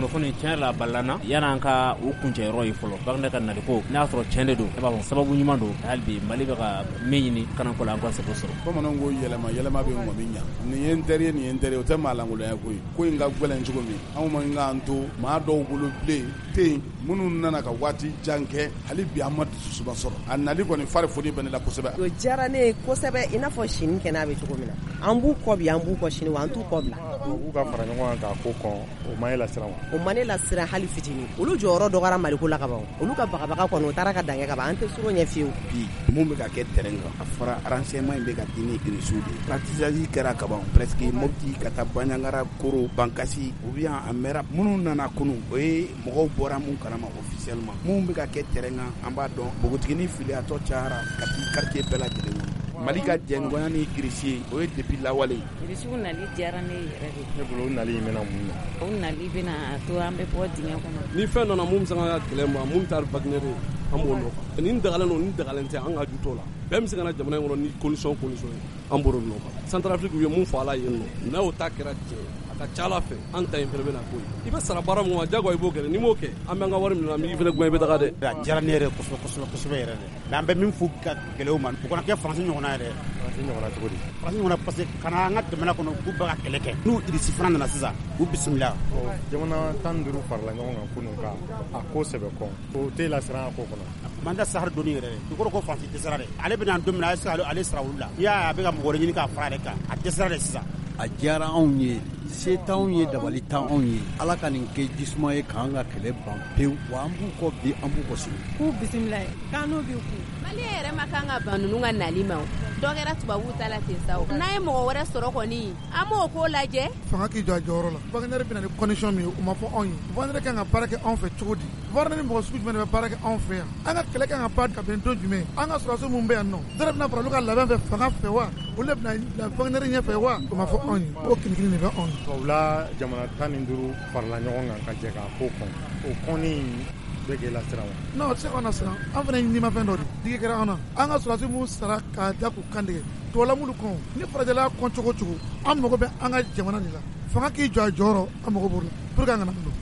Kunnafoni tiɲɛ la balana yan'an ka u kuncɛyɔrɔ ye fɔlɔ Wagner ka naliko n'a y'a sɔrɔ tiɲɛ de don, ne b'a fɔ sababu ɲuman don hali bi Mali bɛ ka min ɲini kanako la an ka se k'o sɔrɔ. Bamananw ko yɛlɛma yɛlɛma bɛ ŋɔmi ɲa, nin ye n teri ye, nin ye n teri ye, o tɛ maa lankolonya ko ye. Ko in ka gɛlɛn cogo min, anw man k'an to maa dɔw bolo bilen tɛ yen minnu nana ka waati jan kɛ, hali bi an ma dususuma sɔrɔ. A nali kɔni fari foni bɛ ne la kosɛbɛ. O diyara ne ye kosɛbɛ, i n'a fɔ sini kɛnɛ bɛ cogo min na. An b'u kɔ bi, an b'u kɔ sini, wa an t'u kɔ bila. U ka fara ɲɔgɔn kan k'a ko kɔn, o ma e lasiran wa? O ma ne lasiran hali fitinin. Olu jɔyɔrɔ dɔgɔyara Maliko la ka ban. Olu ka bagabaga kɔni, o taara ka dan kɛ ka ban. An tɛ suro ɲɛ fiyewu. Bi mun bɛ ka kɛ terrain kan, a fɔra renseignement in bɛ ka di ni Irisiw de ye. Ratissage kɛra ka ban presque Mopti ka taa Bandiagara, Koro, Bankasi ou bien a mɛra. Minnu nana kunun, o ye mɔgɔw bɔra mun kalama officiellement. Mun bɛ ka kɛ terrain kan, an b'a dɔn. Npogotiginin filiyatɔ cayara ka t'i quartier bɛɛ lajɛlen kɔnɔ. Mali ka jɛɲɔgɔnya ni Irisi ye, o ye depuis lawale. Irisiw nali diyara ne yɛrɛ de. Ne bolo o nali in bɛna mun ɲɛ? O nali bɛna to an bɛ bɔ dingɛ kɔnɔ. Ni fɛn nana mun bɛ se ka kɛlɛ ma, mun taara Wagner ye, an b'o nɔfɛ. Nin dagalen don, nin dagalen tɛ, an ka ju t'o la. Bɛɛ bɛ se ka na jamana in kɔnɔ ni condition ye, an b'o nɔfɛ. Centrafrique u ye mun fɔ a la yen nɔ, n'o ta kɛra tiɲɛ ye, a ka ca Ala fɛ an ta in fana bɛna k'o ye. I bɛ sara baara mun ma, diyagoya i b'o kɛ, n'i m'o kɛ, an b'an ka wari minɛ, an b'i fana gɛn i bɛ taga dɛ. A diyara ne yɛrɛ kosɛbɛ kosɛbɛ kosɛbɛ yɛrɛ dɛ. Mais an bɛ min fɔ ka gɛlɛya u ma, u kana kɛ Faransi ɲɔgɔnna yɛrɛ. Faransi ɲɔgɔnna cogo di? Faransi ɲɔgɔnna parce que kana an ka jamana kɔnɔ k'u bɛ ka kɛlɛ kɛ. N'u Irisi fana nana sisan, u bisimila. Jamana 15 farala ɲɔgɔn kan kunun ka a ko sɛbɛ kɔn, o t'e lasiran a ko kɔnɔ? Man da sahari doni yɛrɛ. I kɔrɔ ko Faransi dɛsɛra dɛ. Ale bɛna don min na, a ye ale sara olu la. N'i y'a ye a bɛ ka mɔgɔ wɛrɛ ɲini k'a fara yɛrɛ kan, a dɛsɛra de sisan. A diyara anw ye, se t'anw ye, dabali t'anw ye. Ala ka nin kɛ jisuma ye k'an ka kɛlɛ ban pewu. Wa an b'u kɔ bi, an b'u kɔ sini. K'u bisimila ye, k'an n'u b'i kun. Maliyɛn yɛrɛ ma kan ka ban ninnu ka nali ma. Dɔ kɛra tubabuw ta la ten sa. N'an ye mɔgɔ wɛrɛ sɔrɔ kɔni, an b'o ko lajɛ. Fanga k'i jɔ a jɔyɔrɔ la. Wagner bɛna ni condition min ye, o ma fɔ anw ye. Wagner kan ka baara kɛ anw fɛ cogo di? Wagner ni mɔgɔ sugu jumɛn de bɛ baara kɛ anw fɛ yan? An ka kɛlɛ kan ka ban kabini don jumɛn? An ka sɔrɔdasi minnu bɛ yan nɔ, dɔw bɛna fara olu ka labɛn fɛ fanga fɛ wa? Olu de bɛna Wagner ɲɛfɛ wa? O ma fɔ anw ye. O kinikini de bɛ anw ye. Tubabula jamana 15 farala ɲɔgɔn kan ka jɛ k'a ko kɔn. O kɔnni bɛ k'e lasiran wa? Non, o tɛ se k'anw lasiran. An fana ye nimafɛn dɔ de. Digi kɛra an na. An ka sɔrɔdasi minnu sara k'a da k'u kan tigɛ. Tubabula m'olu kɔn. Ni farajɛla kɔn cogo cogo, an mago bɛ an ka jamana de la. Fanga k'i jɔ a jɔyɔrɔ, an mago b'o la. Pour que an kana don.